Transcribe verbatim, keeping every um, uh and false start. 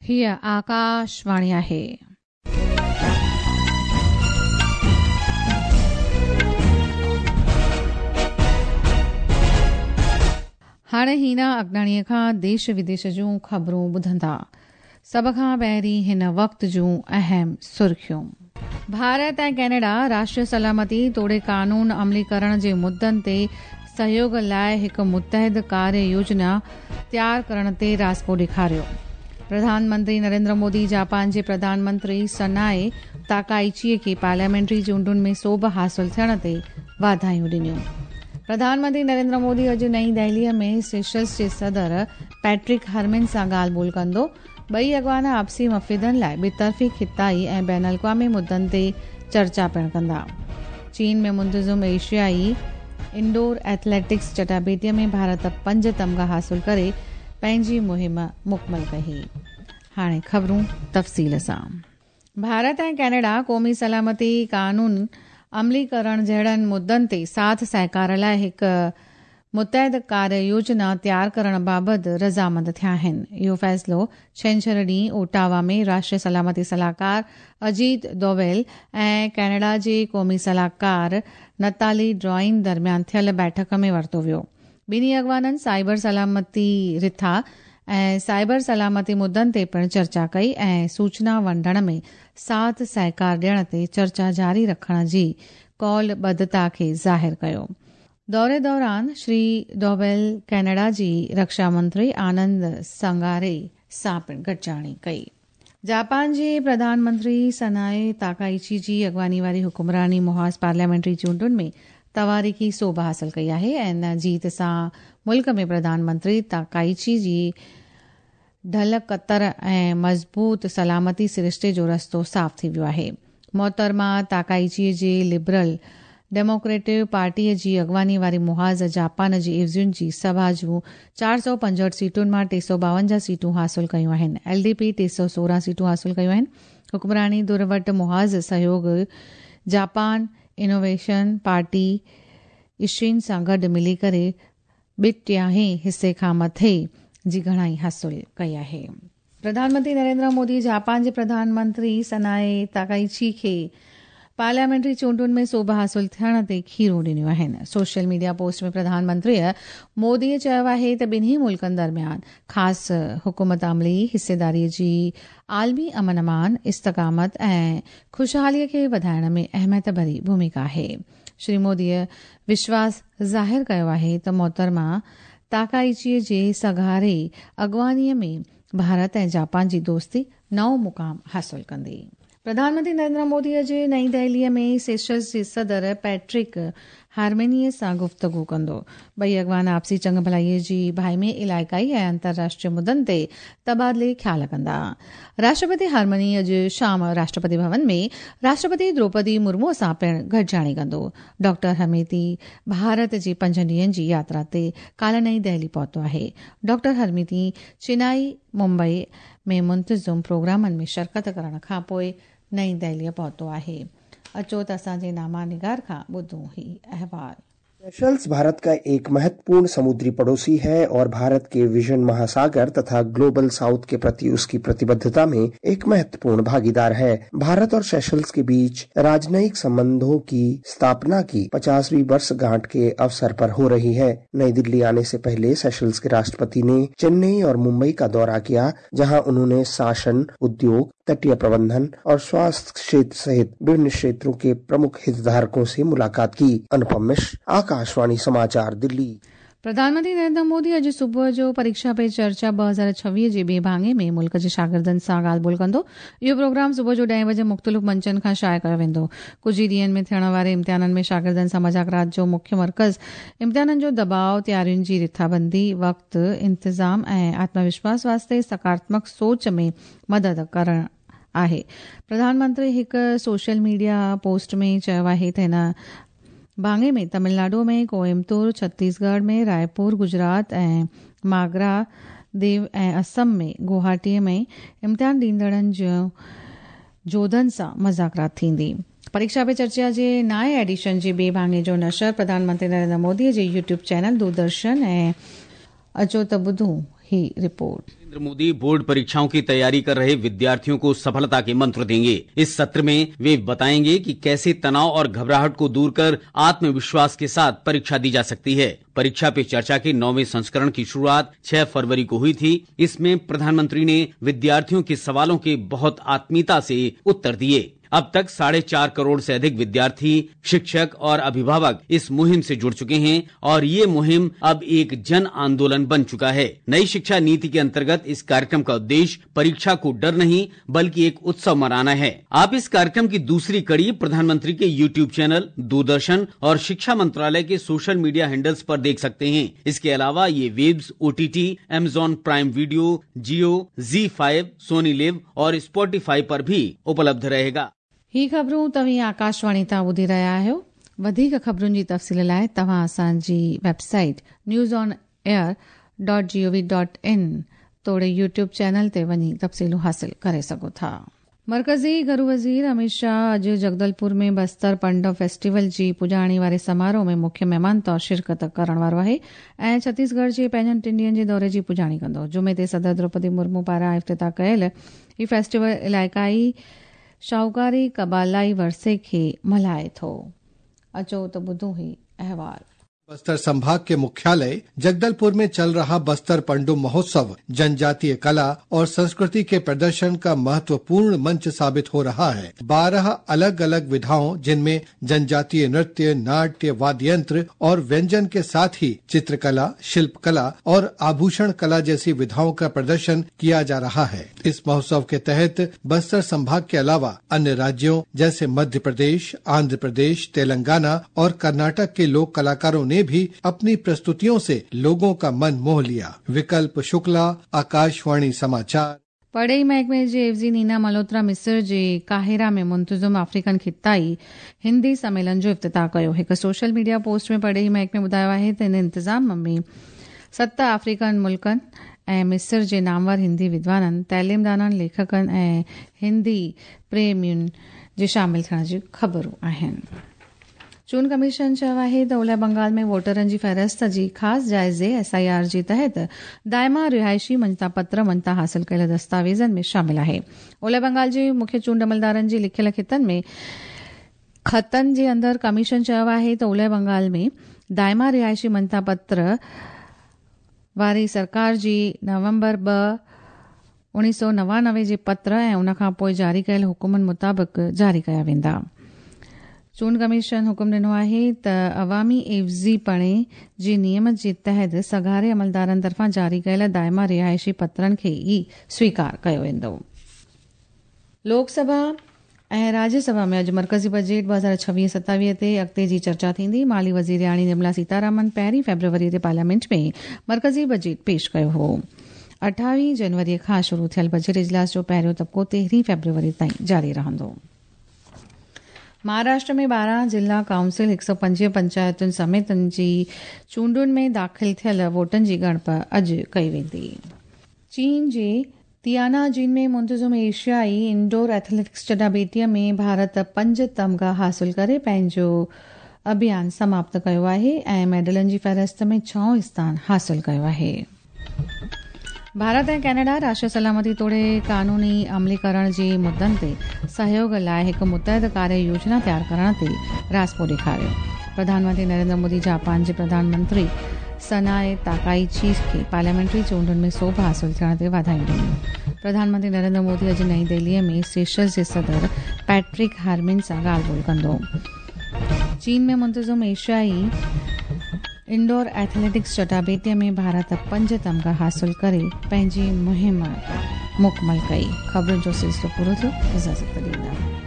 हीअ आकाशवाणी आहे। हाणे हीना अगनाणीअ खां देश विदेश जूं ख़बरूं ॿुधंदा। सभ खां पहिरीं हिन वक़्त जूं अहम सुर्खियूं। भारत ऐं कनाडा राष्ट्रीय सलामती तोड़े कानून अमलीकरण जे मुद्दनि ते सहयोग लाइ हिकु मुतहद कार्य योजना तयार करण ते राज़पो ॾेखारियो। प्रधानमंत्री नरेंद्र मोदी जापान जे प्रधानमंत्री सनाए ताकाइची खे पार्लियामेंट्री चूंडुनि में सोभ हासिल थियण ते वाधायूं ॾिनियूं। प्रधानमंत्री नरेंद्र मोदी अॼु नई दिल्लीअ में सेशल्स जे सदर पैट्रिक हरमिन सां ॻाल्हि ॿोल कंदो। ॿई अॻवान आपसी मफ़ीदनि लाइ ॿितरफ़ी ख़िताई ऐं बैन अल-अक़वामी मुद्दनि ते चर्चा पिणु कंदा। चीन में मुंतज़िम एशियाई इंडोर एथलेटिक्स चटाबेटीअ में भारत पंज तमगा हासिल करे पंहिंजी मुहिम मुकमल कई। हाणे ख़बरूं तफ़सील सां। भारत ऐं कनाडा क़ौमी सलामती कानून अमलीकरण जहिड़नि मुद्दनि ते साथ सहकार लाइ हिकु मुतहद कार्य योजना तयार करण बाबति रज़ामंद थिया आहिनि। इहो फ़ैसिलो छंछर ॾींहुं ओटावा में राष्ट्रीय सलामती सलाहकार अजीत दोवेल ऐं कनाडा जे क़ौमी सलाहकार नताली ड्रॉइन दरमियान थियल बैठक में वरितो वियो। ॿिन्ही अॻवाननि साइबर सलामती रिथा ऐं साइबर सलामती मुद्दनि ते पिणु चर्चा कई ऐं सूचना वंडण में साथ सहकार ॾियण ते चर्चा जारी रखण जी कौलबद्धता खे ज़ाहिर कयो। दौरे दौरान श्री दोवेल कनाडा जी रक्षा मंत्री आनंद संगारे सां पिणु गॾिजाणी कई। जापान जे प्रधानमंत्री सनाए ताकाइची जी अॻवानी वारी हुकुमरानी मुहाज़ पार्लियामेंट्री चूंडुनि में तवारीख़ी सोभ हासिल कई आहे ऐं इन जीत सां मुल्क में प्रधानमंत्री ताकाइची जी ढल कतर ऐं मज़बूत सलामती सरिश्ते जो रस्तो साफ़ थी वियो आहे। मोहतरमा ताकाइची जे लिबरल डेमोक्रेटिव पार्टीअ जी अॻवानी वारी मुहाज़ जापान जी इवज़ियुनि जी सभा जूं चारि सौ पंजहठि सीटुनि मां टे सौ ॿावंजाह सीटूं हासिल कयूं आहिनि। एल डी पी टे सौ सोरहं सीटूं हासिल कयूं आहिनि। हुकुमरानी धुर वटि मुहाज़ सहयोग जापान इनोवेशन पार्टी इशिन सां गॾु मिली करे ॿ टिहाई हिसे खां मथे जी घणाई हासिल कई आहे। प्रधानमंत्री नरेंद्र मोदी जापान जे प्रधानमंत्री सनाए ताकाइची खे पार्लियामेंट्री चूंडुनि में सोभ हासिल थियण ते खीरूं ॾिनियूं आहिनि। सोशल मीडिया पोस्ट में प्रधानमंत्रीअ मोदीअ चयो आहे त ॿिन्ही मुल्कनि दरमियान ख़ासि हुकूमत अमली हिस्सेदारीअ जी आलमी अमन अमान, इस्तक़ामत ऐं ख़ुशहालीअ खे वधाइण में अहमियत भरी भूमिका आहे। श्री मोदीअ विश्वास ज़ाहिर कयो आहे त मोहतरमा ताकाइचीअ जे सघारे अॻवानीअ में भारत ऐं जापान जी दोस्ती नओं मुक़ाम हासिल कंदी। प्रधानमंत्री नरेंद्र मोदी अॼु नई दिल्लीअ में सेशल्स जे सदर पैट्रिक हार्मेनीअ सां गुफ़्तगू कंदो। ॿई अॻवान आपसी चंग भलाईअ जी भाइमे इलाइक़ाई ऐं अंतर्राष्ट्रीय मुद्दनि ते तबादिले ख़्याल कंदा। राष्ट्रपति हार्मनी अॼु शाम राष्ट्रपति भवन में राष्ट्रपति द्रौपदी मुर्मूअ सां पिणु गॾिजाणी कंदो। डॉक्टर हरमीती भारत जे पंजनि ॾींहंनि जी यात्रा ते काल्ह नई दिल्ली पहुतो आहे। डॉक्टर हरमीती चेन्नई, मुंबई में मुंतज़िम प्रोग्रामनि में शिरकत करण खां पोइ नई दिल्लीअ पहुतो आहे। अचो त असांजे नामा निगार खां ॿुधूं ही अहवाल। सेशल्स भारत का एक महत्वपूर्ण समुद्री पड़ोसी है और भारत के विजन महासागर तथा ग्लोबल साउथ के प्रति उसकी प्रतिबद्धता में एक महत्वपूर्ण भागीदार है। भारत और सेशल्स के बीच राजनयिक संबंधों की स्थापना की पचासवीं वर्षगांठ के अवसर पर हो रही है। नई दिल्ली आने से पहले सेशल्स के राष्ट्रपति ने चेन्नई और मुंबई का दौरा किया, जहाँ उन्होंने शासन, उद्योग, तटीय प्रबंधन और स्वास्थ्य क्षेत्र सहित विभिन्न क्षेत्रों के प्रमुख हितधारकों से मुलाकात की। अनुपम मिश्र, आकाशवाणी समाचार, दिल्ली। प्रधानमंत्री नरेंद्र मोदी अॼु सुबुह जो परीक्षा पे चर्चा ॿ हज़ार छवीह जे ॿिए भाङे में मुल्क जे शागिर्दनि सां ॻाल्हि ॿोल कंदो। इहो प्रोग्राम सुबुह जो ॾहें बजे मुख़्तलिफ़ मंचनि खां शाया कयो वेंदो। कुझु ई ॾींहंनि में थियण वारे इम्तिहाननि में शागिर्दनि सां मज़ाकरात जो मुख्य मर्कज़ इम्तिहाननि जो दबाव, तयारियुनि जी रिथाबंदी, वक़्तु, इंतज़ाम ऐं आत्मविश्वास वास्ते सकारात्मक सोच में मदद करणु आहे। प्रधानमंत्री हिकु सोशल मीडिया पोस्ट में चयो आहे त हिन भाङे में तमिलनाडु में कोयम्बतूर, छत्तीसगढ़ में रायपुर, गुजरात ऐं मागरा देव ऐं असम में गुवाहाटीअ में इम्तिहान ॾींदड़नि जो जोधनि सां मज़ाकरात थींदी। परीक्षा पे चर्चा जे नाए एडिशन जे ॿिए भाङे जो नशर प्रधानमंत्री नरेंद्र मोदीअ जे यूट्यूब चैनल दूरदर्शन ऐं अचो त ॿुधूं ही रिपोर्ट। नरेंद्र मोदी बोर्ड परीक्षाओं की तैयारी कर रहे विद्यार्थियों को सफलता के मंत्र देंगे। इस सत्र में वे बताएंगे कि कैसे तनाव और घबराहट को दूर कर आत्मविश्वास के साथ परीक्षा दी जा सकती है। परीक्षा पे चर्चा के नौवें संस्करण की शुरुआत छह फरवरी को हुई थी। इसमें प्रधानमंत्री ने विद्यार्थियों के सवालों के बहुत आत्मीयता से उत्तर दिए। अब तक साढ़े चार करोड़ से अधिक विद्यार्थी, शिक्षक और अभिभावक इस मुहिम से जुड़ चुके हैं और ये मुहिम अब एक जन आंदोलन बन चुका है। नई शिक्षा नीति के अंतर्गत इस कार्यक्रम का उद्देश्य परीक्षा को डर नहीं बल्कि एक उत्सव मनाना है। आप इस कार्यक्रम की दूसरी कड़ी प्रधानमंत्री के यूट्यूब चैनल, दूरदर्शन और शिक्षा मंत्रालय के सोशल मीडिया हैंडल्स पर देख सकते हैं। इसके अलावा ये Waves, O T T, Amazon Prime Video, Jio, Zee five, Sony LIV और स्पॉटिफाई पर भी उपलब्ध रहेगा। ही ख़बरूं तव्हीं आकाशवाणी तां ॿुधी रहिया आहियो। वधीक ख़बरुनि जी तफ़सील लाइ तव्हां असांजी website news on air dot G O V dot in तोड़े यूट्यूब चैनल ते वञी तफ़सीलूं हासिल करे सघो था। मरकज़ी घरू वज़ीर अमित शाह अॼु जगदलपुर में बस्तर पंडव फेस्टिवल जी पुॼाणी वारे समारोह में मुख्य महिमान तौर शिरकत करण वारो आहे ऐं छत्तीसगढ़ जे पंहिंजनि टिनि ॾींहनि जे दौरे जी पुॼाणी कंदो। जुमे ते सदर द्रौपदी मुर्मू पारां इफ़्तिताह कयल ही फेस्टिवल इलाइक़ाई शाहूकारी कबालाई वर्से खे मल्हाए थो। अचो त ॿुधूं ही अहवाल। बस्तर संभाग के मुख्यालय जगदलपुर में चल रहा बस्तर पंडुम महोत्सव जनजातीय कला और संस्कृति के प्रदर्शन का महत्वपूर्ण मंच साबित हो रहा है। बारह अलग अलग विधाओं, जिनमें जनजातीय नृत्य, नाट्य, वाद्ययंत्र और व्यंजन के साथ ही चित्रकला, शिल्पकला और आभूषण कला जैसी विधाओं का प्रदर्शन किया जा रहा है। इस महोत्सव के तहत बस्तर संभाग के अलावा अन्य राज्यों जैसे मध्य प्रदेश, आंध्र प्रदेश, तेलंगाना और कर्नाटक के लोक कलाकारों ने भी अपनी प्रस्तुतियों से लोगों का मन मोह लिया। विकल्प शुक्ला, आकाशवाणी समाचार। परॾेही महकमे जे एवज़ी नीना मल्होत्रा मिस्र जे काहिरा में मुंतज़िम अफ्रीकन खिताई हिंदी सम्मेलन जो इफ़्तिताह कयो। हिकु सोशल मीडिया पोस्ट में परॾेही महकमे ॿुधायो आहे त इन इंतिज़ाम में सत अफ्रीकन मुल्कनि ऐं मिस्र जे नामवर हिंदी विद्वाननि, तालीमदाननि, लेखकनि ऐं हिंदी प्रेमियुनि जे शामिल थियण जूं ख़बरूं आहिनि। चूंड कमीशन चयो आहे त ओलह बंगाल में वोटरनि जी फ़हरिस्त जी ख़ासि जाइज़े एस I R जे तहत दाइमा रिहाइशी मञता पत्र मञता हासिल कयल दस्तावेज़नि में शामिल आहे। ओलह बंगाल जे मुख्य चूंड अमलदारनि जी लिखियल ख़ितनि में ख़तनि जे अंदरि कमीशन चयो आहे त ओलह बंगाल में दाइमा रिहाइशी मञता पत्र वारी सरकार जी नवंबर ॿ उणिवीह सौ नवानवे जे पत्र ऐं उन खां पोइ जारी कयल हुकुमनि मुताबिक़ जारी कया वेंदा। चूंड कमीशन हुकुम ॾिनो आहे त अवामी एवज़ीपणे जे नियम जे तहत सघारे अमलदारनि तरफ़ां जारी कयल दाइमा रिहाइशी पत्रनि खे ई स्वीकार कयो वेंदो। लोकसभा ऐं राज्यसभा में अॼु मरकज़ी बजट ॿ हज़ार छवीह सतावीह ते अॻिते जी चर्चा थींदी। माली वज़ीरियाणी निर्मला सीतारामन पहिरीं फेब्रुअरी ते पार्लियामेंट में मरकज़ी बजट पेश कयो हो। अठावीह जनवरी खां शुरू थियल बजट इजलास जो पहिरियों तबिको तेरहीं फेब्रुअरी ताईं जारी रहंदो। महाराष्ट्र में ॿारहं जिला काउंसिल हिकु सौ पंजवीह पंचायतुनि समेत जी चूंडुनि में दाख़िल थियल वोटनि जी ॻणप अॼु कई वेंदी। चीन जे तियानाजिन में मुंतज़िम एशियाई इंडोर एथलेटिक्स चटाबेटीअ में भारत पंज तमगा हासिल करे पंहिंजो अभियान समाप्त कयो आहे ऐं मेडलनि जी फ़हरिस्त में छहों स्थान हासिल कयो आहे। भारत ऐं कनाडा राष्ट्रीय सलामती तोड़े कानूनी अमलीकरण जे मुद्दनि ते सहयोग लाइ हिकु मुतहद कार्य योजना तयार करण ते राज़पो ॾेखारियो। प्रधानमंत्री नरेंद्र मोदी जापान जे प्रधानमंत्री सनाए ताकाइची खे पार्लियामेंट्री चूंडुनि में सोभ हासिल थियण ते वाधायूं ॾिनियूं। प्रधानमंत्री नरेंद्र मोदी अॼु नई दिल्लीअ में सेशल्स जे सदर पैट्रिक हार्मिन सां ॻाल्हि ॿोल कंदो। चीन में मुंतज़िम एशियाई इंडोर एथलेटिक्स चटाबेटीअ में भारत पंज तमगा हासिल करे पंहिंजी मुहिम मुकमल कई। ख़बरुनि जो सिलसिलो पूरो थियो। इजाज़त ॾींदा।